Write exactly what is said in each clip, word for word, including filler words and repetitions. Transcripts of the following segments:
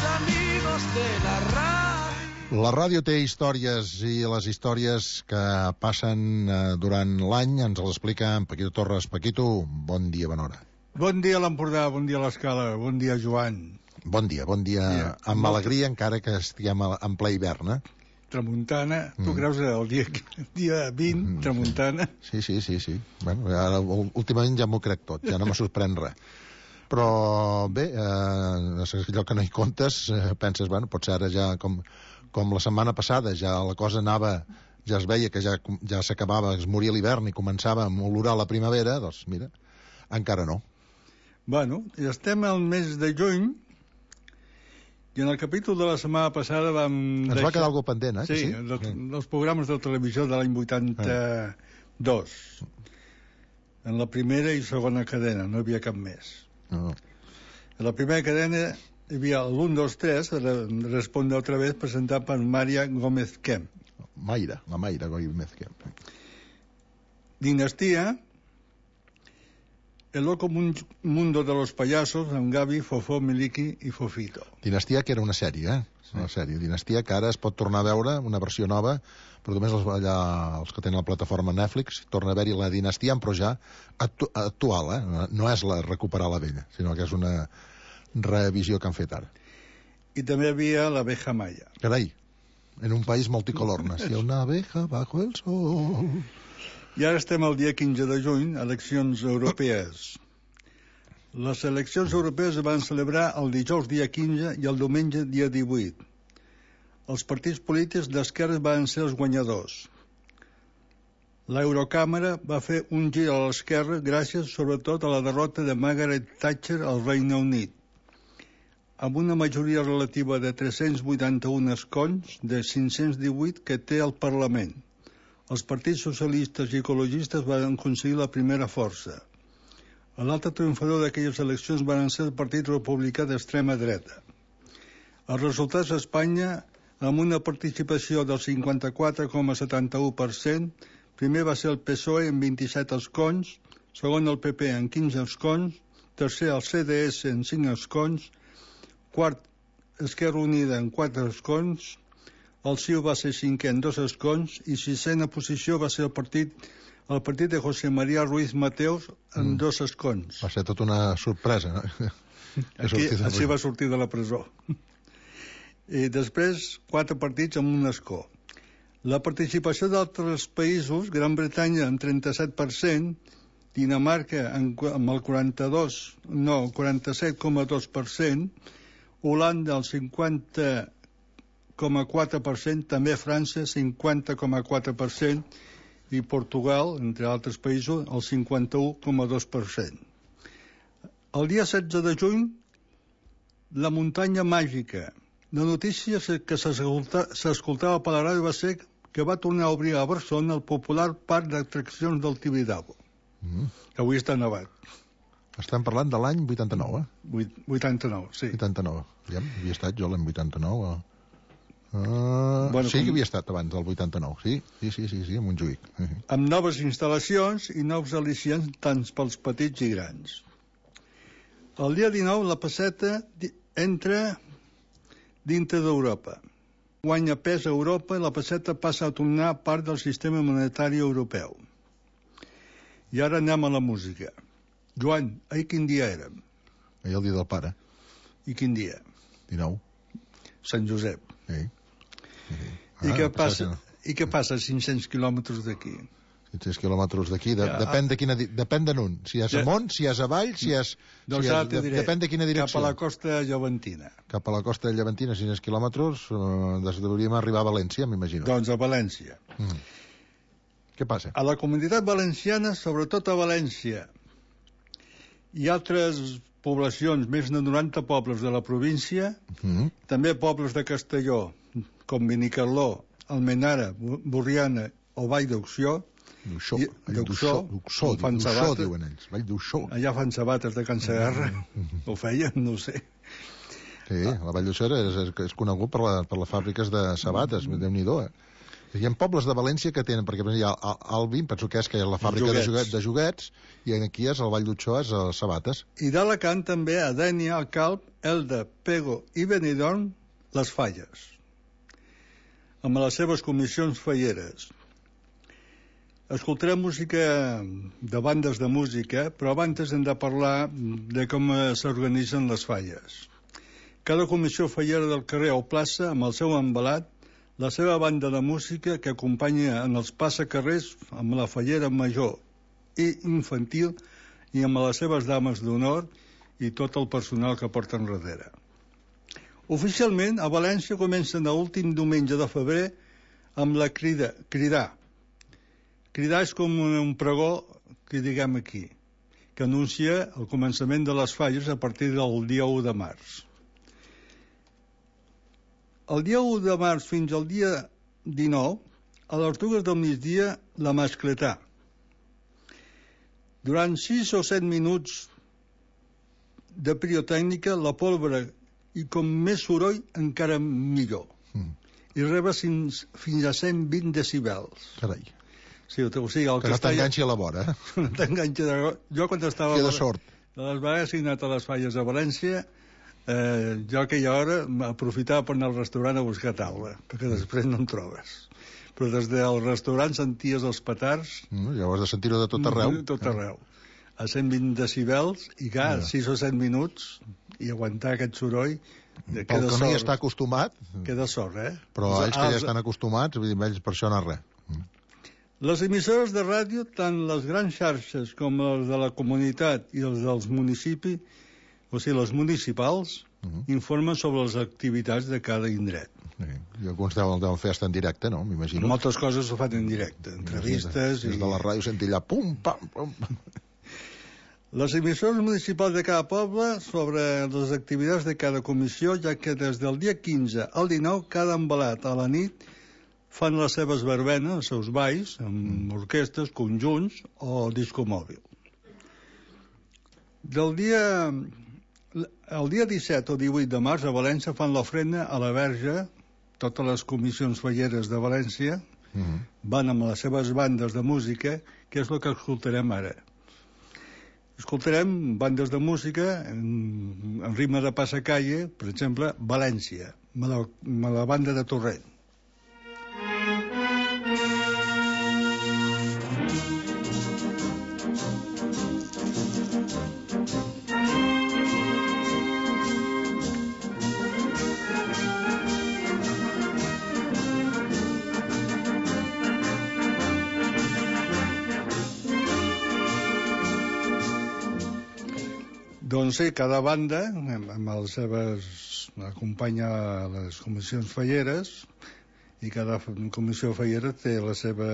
amigos de la radio. La ràdio té històries i les històries que passen eh, durant l'any ens les explica en Paquito Torres. Paquito, bon dia, bona hora. Bon dia a l'Empordà, bon dia a l'Escala, bon dia Joan. Bon dia, bon dia, dia. amb Molt... alegria encara que estiguem en ple hivern, eh? Tramuntana, Mm. tu creus el dia, dia vint, Mm, tramuntana? Sí, sí, sí, sí. Bueno, ara, últimament ja m'ho crec tot, ja no me sorprèn res. Però bé, eh, allò que no hi comptes, eh, penses, bueno, potser ara ja com, com la setmana passada ja la cosa anava, ja es veia que ja, ja s'acabava, es moria l'hivern i començava a olorar la primavera, doncs mira, encara no. Bueno, ja estem al mes de juny i en el capítol de la setmana passada vam Ens deixar... va quedar alguna cosa pendent, eh? Sí, Sí, dels, sí. dels programes de televisió de l'any vuitanta-dos. En la primera i segona cadena, no hi havia cap més. No. En la primera cadena hi havia l'un, dos, tres, Responde otra vez, presentat per Maria Gómez Kemp. Mayra, la Mayra Gómez Kemp. Dinastía, El loco mundo de los payasos, amb Gavi, Fofó, Miliki i Fofito. Dinastia, que era una sèrie, eh? Sí. Una sèrie. Dinastia, que ara es pot tornar a veure, una versió nova, però només els, allà, els que tenen la plataforma Netflix, torna a haver-hi la Dinastia, però ja actu actual, eh? No és la recuperar la vella, sinó que és una revisió que han fet ara. I també hi havia l'Abeja Maya. Carai, en un país multicolor, nació una abeja bajo el sol. I ara estem al dia quinze de juny, eleccions europees. Les eleccions europees es van celebrar el dijous dia quinze i el diumenge dia divuit. Els partits polítics d'esquerra van ser els guanyadors. L'Eurocàmera va fer un gir a l'esquerra gràcies sobretot a la derrota de Margaret Thatcher al Regne Unit, amb una majoria relativa de tres-cents vuitanta-un escons de cinc-cents divuit que té el Parlament. Els partits socialistes i ecologistes van aconseguir la primera força. L'altre triomfador d'aquelles eleccions van ser el Partit Republicà d'extrema dreta. Els resultats a Espanya, amb una participació del cinquanta-quatre coma setanta-u per cent, primer va ser el P S O E amb vint-i-set escons, segon el P P amb quinze escons, tercer el C D S amb cinc escons, quart Esquerra Unida amb quatre escons, el C I U va ser cinquè en dos escons i sisena posició va ser el partit el partit de José María Ruiz Mateos amb mm. dos escons. Va ser tota una sorpresa, no? Aquí, així va sortir de la presó. I després, quatre partits amb un escó. La participació d'altres països, Gran Bretanya amb trenta-set per cent, Dinamarca amb el quaranta-dos, no, quaranta-set coma dos per cent, Holanda el cinquanta coma quatre per cent, també França cinquanta coma quatre per cent i Portugal, entre altres països, el cinquanta-u coma dos per cent. El dia setze de juny, la muntanya màgica. La notícia que s'escoltava per la ràdio va ser que va tornar a obrir a Barcelona el popular parc d'atraccions del Tibidabo, mm. que avui està nevat. Estem parlant de l'any vuitanta-nou, eh? vuitanta-nou, sí. vuitanta-nou. Ja havia estat jo l'any vuitanta-nou, eh? Uh, bueno, sí que havia estat abans del vuitanta-nou, sí, sí, sí, sí, sí, a Montjuïc. Uh -huh. Amb noves instal·lacions i nous al·licients tant pels petits i grans. El dia dinou la pesseta entra dintre d'Europa. Guanya pes a Europa i la pesseta passa a tornar part del sistema monetari europeu. I ara anem a la música. Joan, ahir quin dia érem? Ahir el dia del pare. I quin dia? dinou. Sant Josep. Sí. Sí. Ah, I, què passa, I què passa a cinc-cents quilòmetres d'aquí? cinc-cents quilòmetres d'aquí, de, ja, depèn de quina, depèn d'en un. Si és ja, amunt, si és avall, si és... Doncs si ara és, t'ho diré. Depèn de quina direcció. Cap a la costa llevantina. Cap a la costa llevantina, cinc-cents quilòmetres, eh, hauríem arribar a València, m'imagino. Doncs a València. Mm. Què passa? A la comunitat valenciana, sobretot a València, i altres poblacions, més de noranta pobles de la província, mm. també pobles de Castelló, com Benicarló, Almenara, Borriana o Vall d'Uixó, D'Uixó, d'Uixó, d'Uixó, diuen ells, Vall d'Uixó. Allà fan sabates de Can Segarra, mm. ho feien, no ho sé. Sí, la Vall d'Uixó és, és, és conegut per, la, per les fàbriques de sabates, mm. Déu-n'hi-do, eh? Hi ha pobles de València que tenen, perquè hi ha Albi, penso que és que és la fàbrica de joguets, de joguets, i aquí és el Vall d'Uixó, és a Sabates. I d'Alacant també a Dénia, al Calp, Elda, Pego i Benidorm, les Falles, amb les seves comissions falleres. Escoltarem música de bandes de música, però abans hem de parlar de com s'organitzen les falles. Cada comissió fallera del carrer o plaça, amb el seu embalat, la seva banda de música que acompanya en els passacarrers amb la fallera major i infantil i amb les seves dames d'honor i tot el personal que porten darrere. Oficialment, a València comencen l'últim diumenge de febrer amb la crida, cridar. Cridar és com un pregó que diguem aquí, que anuncia el començament de les falles a partir del dia u de març. El dia u de març fins al dia dinou, a les dues del migdia, la mascletà. Durant sis o set minuts de pirotècnica, la pólvora, i com més soroll, encara millor. Mm. I reba fins, fins a cent vint decibels. Carai. Sí, o sigui, el que no t'enganxi a la vora, eh? No t'enganxi de... Jo quan estava... Queda sort. De les vegades he anat a les falles a València, eh, jo aquella hora aprofitava per anar al restaurant a buscar taula, perquè després no en trobes. Però des del restaurant senties els petards... Mm, ja ho has de sentir-ho de tot arreu. De tot arreu. A cent vint decibels, i clar, ja. sis o set minuts, i aguantar aquest soroll... Pel que no hi està acostumat... Queda sort, eh? Però ells que ja estan acostumats, vull dir, ells per això no res. Mm. Les emissores de ràdio, tant les grans xarxes com les de la comunitat i els dels municipis, o sigui, les municipals, uh -huh. informen sobre les activitats de cada indret. Sí. I alguns deuen, deuen fer estar en directe, no? M'imagino. Moltes coses ho fan en directe, entrevistes... Des de, des de la ràdio sentir allà pum, pam, pum... Les emissores municipals de cada poble sobre les activitats de cada comissió, ja que des del dia quinze al dinou, cada embalat a la nit fan les seves verbenes, els seus balls, amb orquestres, conjunts o disco mòbil. Del dia... El dia disset o divuit de març a València fan l'ofrena a la Verge, totes les comissions falleres de València uh -huh. van amb les seves bandes de música, que és el que escoltarem ara. Escoltarem bandes de música en, en ritme de passacalle, per exemple, València, amb la, amb la banda de Torrent. Doncs sí, cada banda, amb les seves... acompanya les comissions falleres, i cada comissió fallera té la seva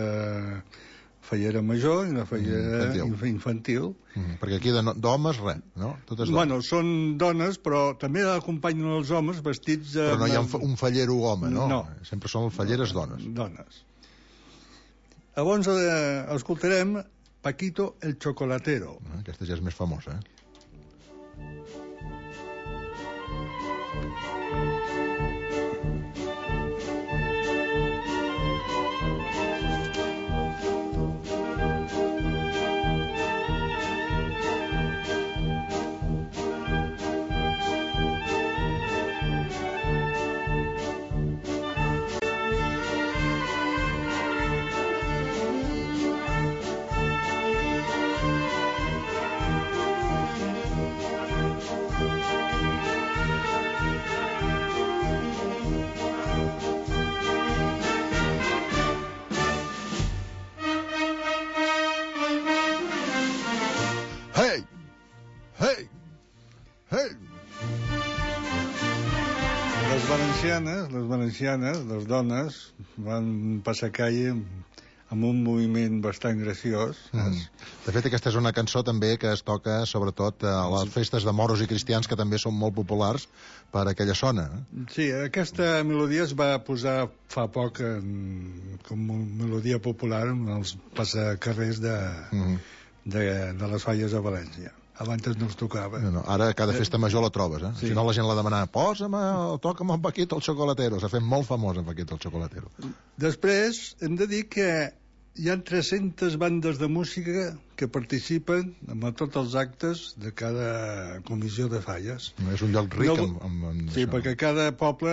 fallera major i la fallera infantil. infantil. Mm, perquè aquí d'homes, res, no? Tot és bueno, són dones, però també acompanyen els homes vestits... Però no hi ha un, un fallero home, no? No. Sempre són falleres dones. Dones. Llavors eh, escoltarem Paquito el Chocolatero. Ah, aquesta ja és més famosa, eh? Les valencianes, les dones, van passar calle amb un moviment bastant graciós. Mm. De fet, aquesta és una cançó també que es toca sobretot a les festes de moros i cristians, que també són molt populars per aquella zona. Sí, aquesta melodia es va posar fa poc en, com una melodia popular en els passacarrers de, mm. de, de les falles de València. Abans no es tocava. No, no, ara cada festa major la trobes, eh? Sí. Si no la gent la demanava, posa'm, toca'm en Paquito el Chocolatero. S'ha fet molt famós en Paquito el Chocolatero. Després, hem de dir que hi ha tres-centes bandes de música que participen en tots els actes de cada comissió de falles. És un lloc ric No, amb, amb, amb Sí, això. perquè cada poble...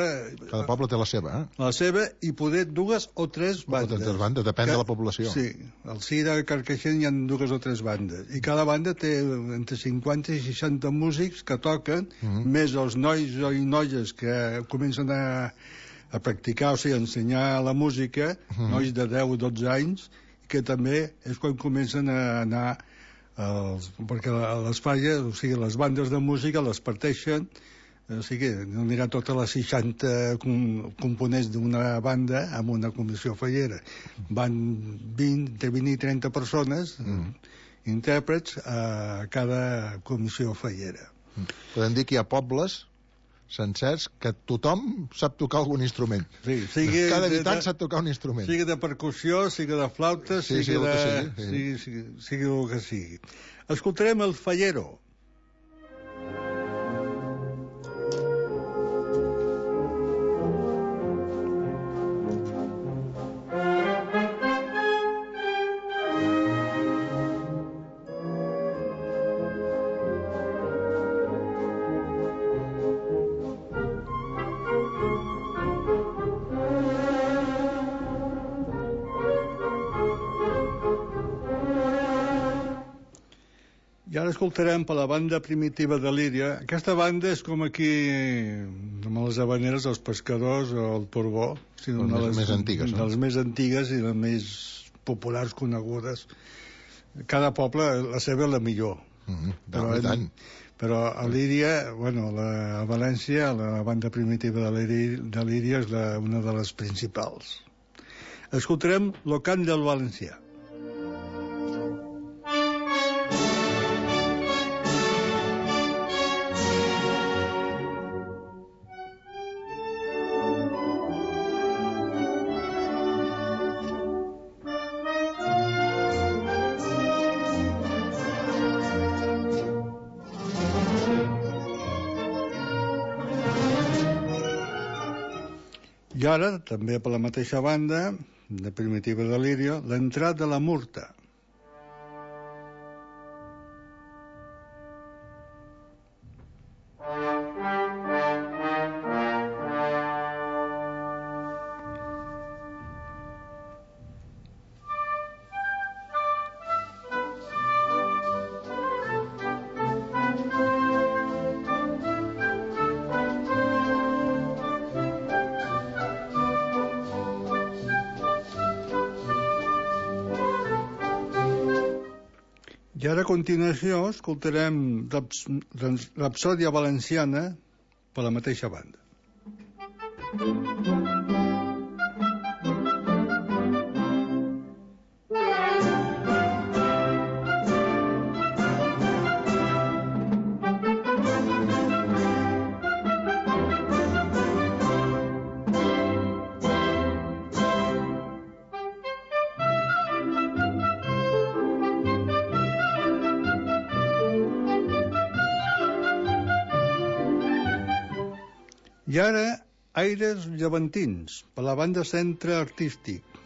Cada poble té la seva, eh? La seva i poder dues o tres bandes. O tres bandes, depèn de la població. Sí, al Cira, a Carcaixent hi ha dues o tres bandes. I cada banda té entre cinquanta i seixanta músics que toquen, Mhm. més els nois i noies que comencen a, a practicar, o sigui, a ensenyar la música, Mhm. nois de deu o dotze anys, que també és quan comencen a anar els, perquè a les falles, o sigui, les bandes de música les parteixen, o sigui, no anirà totes les seixanta com, components d'una banda amb una comissió fallera. Van vint, entre vint i trenta persones, Mm. intèrprets, a cada comissió fallera. Podem dir que hi ha pobles sencers que tothom sap tocar algun instrument. Sí, sigui Cada de- habitant de- sap tocar un instrument. Sigui de percussió, sigui de flauta, Sí, sigui, sigui el de... que sigui, sí. sigui, sigui, sigui el que sigui. Escoltarem el Fallero. I ara escoltarem per la banda primitiva de Líria. Aquesta banda és com aquí, amb les habaneres, els pescadors o el Porbó. O sigui, Les una més- de les, més antigues, no? De les més antigues i les més populars conegudes. Cada poble, la seva és la millor. Mm, Però, i tant. però a Líria, bueno, la, a València, la banda primitiva de Líria, de Líria és la, una de les principals. Escoltarem Lo cant del valencià. I ara, també per la mateixa banda, de Primitiva de Líria, l'entrat de la Murta. I ara a continuació escoltarem Raps- Raps- Rapsòdia Valenciana per la mateixa banda. I ara, Aires Llevantins, per la banda Centre Artístic.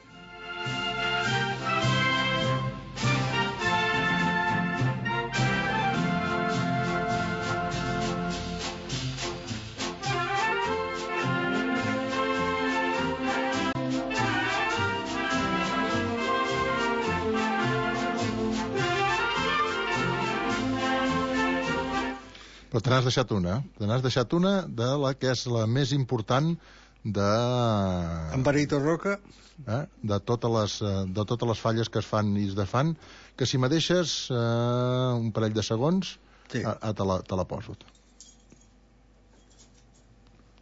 Però te n'has deixat una, eh? Te n'has deixat una de la que és la més important de... Amparito Roca. Eh? De, totes les, eh, de totes les falles que es fan i es defan, que si me deixes eh, un parell de segons, Sí. ah, ah, te, la, te la poso.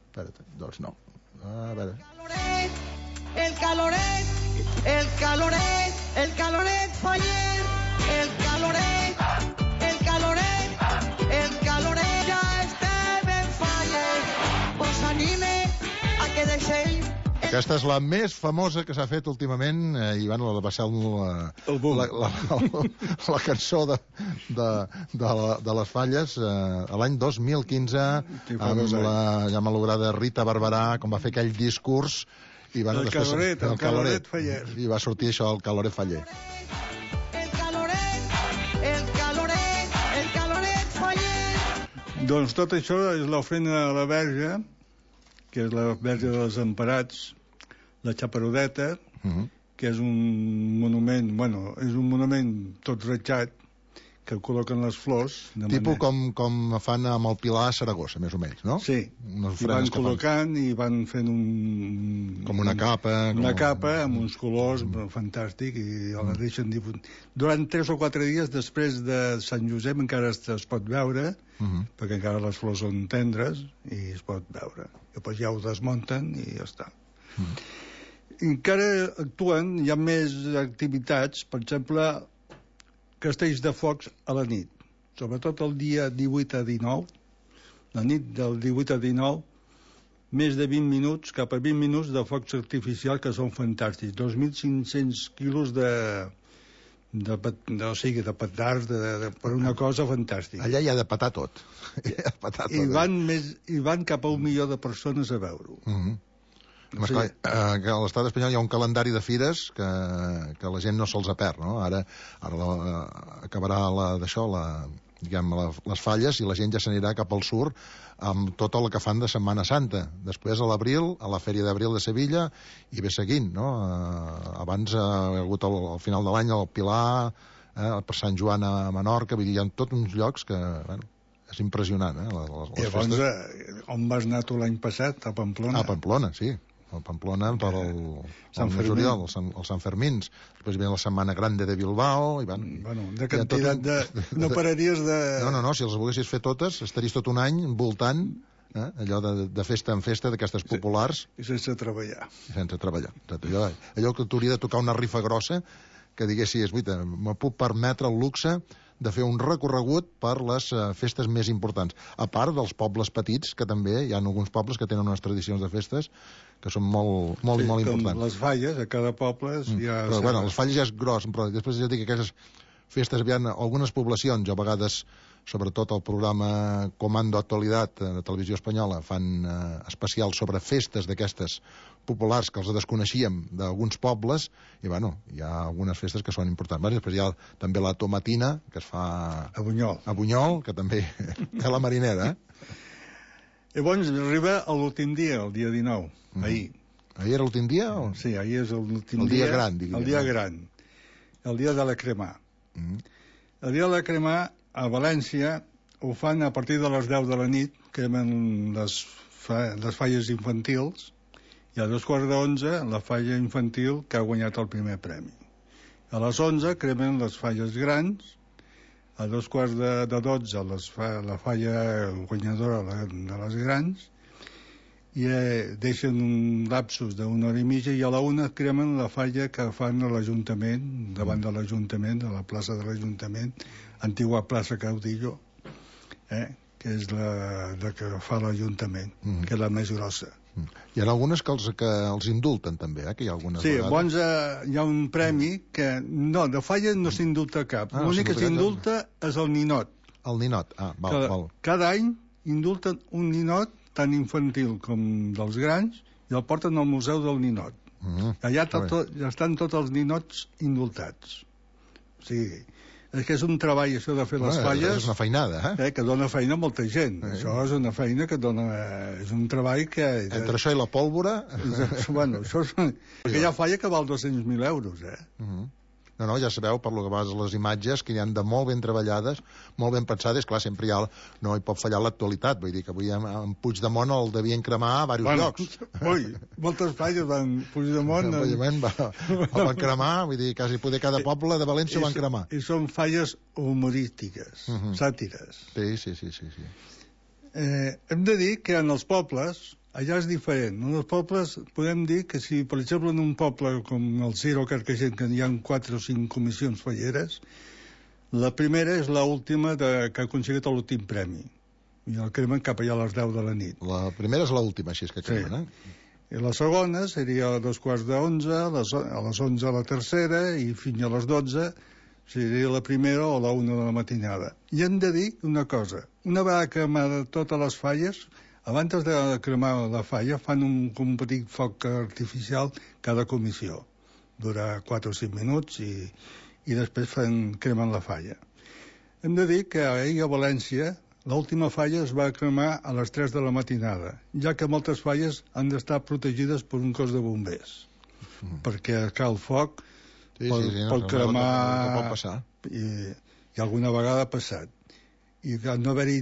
Espera't, doncs no. A veure... El caloret, el caloret, el caloret faller, el caloret, el caloret, el caloret ja estem en faller. Pues anime a que deixeu Aquesta és la més famosa que s'ha fet últimament, eh, i bueno, va ser la, El boom. la, la, la, la cançó de, de, de, la, de les falles eh, a l'any dos mil quinze, Sí, fa amb dos anys. la ja malograda Rita Barberà, com va fer aquell discurs, i bueno, El després, Caloret, el Caloret Faller. i va sortir això, el Caloret Faller. El caloret, el caloret, el caloret Faller. Doncs tot això és l'ofrena a la Verge, que és la Verge dels Emparats, la Xaperodeta, Uh -huh. que és un monument, bueno, és un monument tot ratxat, que col·loquen les flors. De Tipus manera... com, com fan amb el Pilar a Saragossa, més o menys, no? Sí, Unes i van ofrenes que fan. col·locant i van fent un... Com una capa. Una com... capa amb uns colors mm. fantàstic i la deixen difunt. Durant tres o quatre dies després de Sant Josep encara es, es pot veure, Uh -huh. perquè encara les flors són tendres i es pot veure. Després ja ho desmunten i ja està. Uh -huh. I encara actuen, hi ha més activitats, per exemple, castells de focs a la nit, sobretot el dia divuit a dinou, la nit del divuit a dinou, més de vint minuts, cap a vint minuts de focs artificials que són fantàstics, dos mil cinc-cents quilos de, de, de, o sigui, de petards, de, de, per una cosa fantàstica. Allà hi ha de petar tot. Hi ha de petar tot. I van, més, I van cap a un milió de persones a veure-ho. Uh -huh. Home, Sí. esclar, eh, que a l'estat espanyol hi ha un calendari de fires que, que la gent no se'ls perd, no? Ara, ara la, eh, acabarà la, d'això, la, diguem, la, les falles, i la gent ja s'anirà cap al sur amb tot el que fan de Setmana Santa. Després, a l'abril, a la Fèria d'Abril de Sevilla, i ve seguint, no? Eh, abans eh, ha hagut al, al final de l'any el Pilar, eh, per Sant Joan a Menorca, vull dir, hi ha tots uns llocs que, bueno, és impressionant, eh? Les, les, I les llavors, festes... eh, on vas anar tu l'any passat? A Pamplona? A Pamplona, sí. A Pamplona per el, Sant el Fermín. juliol, el Sant, el Sant Fermins. Després ve la Setmana Grande de Bilbao. I van, Bueno, de hi ha tot quantitat un- de... No pararies de... No, no, no, si els volguessis fer totes, estaries tot un any voltant, eh, allò de, de festa en festa, d'aquestes populars, I sense treballar. sense treballar. Exacte. Allò, allò que t'hauria de tocar una rifa grossa, que diguessis, guaita, me puc permetre el luxe de fer un recorregut per les uh, festes més importants. A part dels pobles petits, que també hi ha alguns pobles que tenen unes tradicions de festes que són molt, molt, Sí, i molt com importants. les falles, a cada poble mm. hi ha... Però, bueno, les falles ja és gros, però després ja dic que aquestes festes, hi ha algunes poblacions, a vegades, sobretot el programa Comando Actualitat de Televisió Espanyola, fan eh, especials sobre festes d'aquestes populars que els desconeixíem d'alguns pobles, i bueno, hi ha algunes festes que són importants. Bueno, després hi ha també la tomatina, que es fa A Bunyol. a Bunyol, que també té la marinera, eh? Llavors arriba l'últim dia, el dia dinou, Mhm. ahir. Ahir era l'últim dia? O... Sí, ahir és l'últim El dia. dia gran, diguem. El dia gran. El dia de la cremà. Mm. El dia de la cremà, a València, ho fan a partir de les deu de la nit, cremen les, fa, les falles infantils, i a dos quarts d'onze la falla infantil que ha guanyat el primer premi. A les onze cremen les falles grans, a dos quarts de, de dotze les fa, la falla guanyadora la, de les grans, i eh, deixen un lapsus d'una hora i mitja, i a la una cremen la falla que fan a l'Ajuntament, davant de l'Ajuntament, a la plaça de l'Ajuntament, antigua plaça Caudillo, eh, que és la, la que fa l'Ajuntament, Mhm. que és la més grossa. Hi ha algunes que els, que els indulten també, eh? Que hi ha algunes Sí, vegades. bons, eh, hi ha un premi que... No, de falla no s'indulta cap. Ah, no L'únic que s'indulta s'indulta és el ninot. El ninot, ah, val, que val. cada any indulten un ninot tan infantil com dels grans i el porten al Museu del Ninot. Mm, Allà molt bé. tot, ja estan tots els ninots indultats. O sigui, és que és un treball, això de fer les Bueno, falles, és una feinada, eh? eh, que dona feina a molta gent. Eh. Això és una feina que dona... Eh, és un treball que... Entre això i la pólvora... bueno, això és... Perquè hi ha falla que val dos-cents mil euros, eh? Mhm. No, no, ja sabeu, per lo que vas les imatges, que hi han de molt ben treballades, molt ben pensades. Clar, sempre hi ha, no hi pot fallar l'actualitat. Vull dir que avui en, en Puigdemont el devien cremar a diversos Bueno, llocs. ui, moltes falles van... Puigdemont... El Puigdemont va, el van cremar, vull dir, quasi poder cada poble de València ho van cremar. I són falles humorístiques, uh Mhm. -huh. sàtires. Sí, sí, sí, sí, sí. Eh, hem de dir que en els pobles, allà és diferent. En els pobles podem dir que si, per exemple, en un poble com el Ciro Carcaixent, que hi ha quatre o cinc comissions falleres, la primera és l'última de, que ha aconseguit l'últim premi. I el cremen cap allà a les deu de la nit. La primera és l'última, així és que cremen, Sí. eh? I la segona seria a dos quarts d'onze, a les, a les onze la tercera i fins a les dotze seria la primera o la una de la matinada. I hem de dir una cosa, una vegada cremades totes les falles, abans de cremar la falla fan un, un petit foc artificial cada comissió. Dura quatre o cinc minuts i, i després fan, cremen la falla. Hem de dir que ahir a València l'última falla es va cremar a les tres de la matinada, ja que moltes falles han d'estar protegides per un cos de bombers, mm. perquè cal foc, sí, pot, sí, sí, no, pot cremar... No, no pot passar. I, I alguna vegada ha passat. I no haver-hi...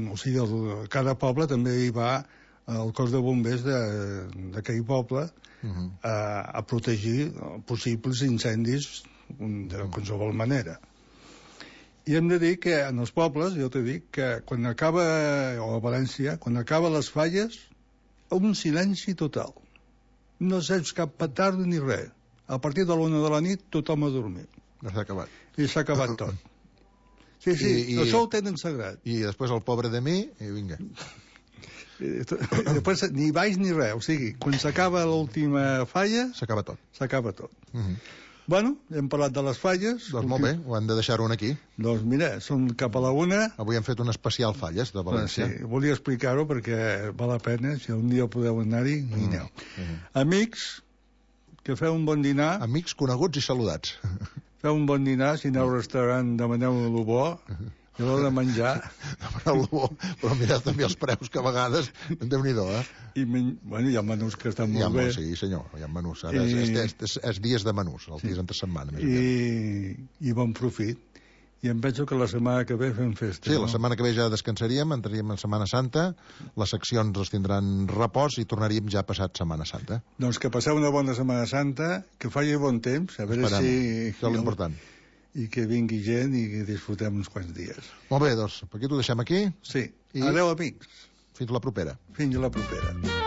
O sigui, el, cada poble també hi va el cos de bombers d'aquell poble mm-hmm. a, a protegir possibles incendis de qualsevol manera. I hem de dir que en els pobles, jo t'he dit, que quan acaba, o a València, quan acaba les falles, un silenci total. No saps cap petardo ni res. A partir de l'una de la nit, tothom ha dormit. No s'ha acabat. I s'ha acabat tot. Sí, sí, I, i, això ho tenen sagrat. I després el pobre de mi, i vinga. I després ni baix ni res. O sigui, quan s'acaba l'última falla... S'acaba tot. S'acaba tot. Mm-hmm. Bueno, hem parlat de les falles. Doncs molt bé, ho hem de deixar-ho aquí. Doncs mira, són cap a la una. Avui hem fet un especial falles de València. Sí, volia explicar-ho perquè val la pena, si un dia podeu anar-hi, hi aneu. Mm. Mm. Amics, que feu un bon dinar. Amics coneguts i saludats. Feu un bon dinar, si aneu al restaurant demaneu el bo. I a l'hora de menjar... Demaneu el bo, però mireu també els preus, que a vegades, Déu-n'hi-do, eh? I, men... bueno, hi ha menús que estan molt bé. Sí, senyor, hi ha menús. Ara I... és, és, és, és dies de menús, els sí. dies entre setmana. Més I... I bon profit. I em penso que la setmana que ve fem festa. Sí, no? La setmana que ve ja descansaríem, entraríem en Setmana Santa, les seccions els tindran repòs i tornaríem ja passat Setmana Santa. Doncs que passeu una bona Setmana Santa, que faci bon temps, a veure Esperem. si... Això és l'important. I que vingui gent i que disfrutem uns quants dies. Molt bé, doncs, per aquí t'ho deixem aquí. Sí. I... Adéu, amics. Fins la propera. Fins la propera.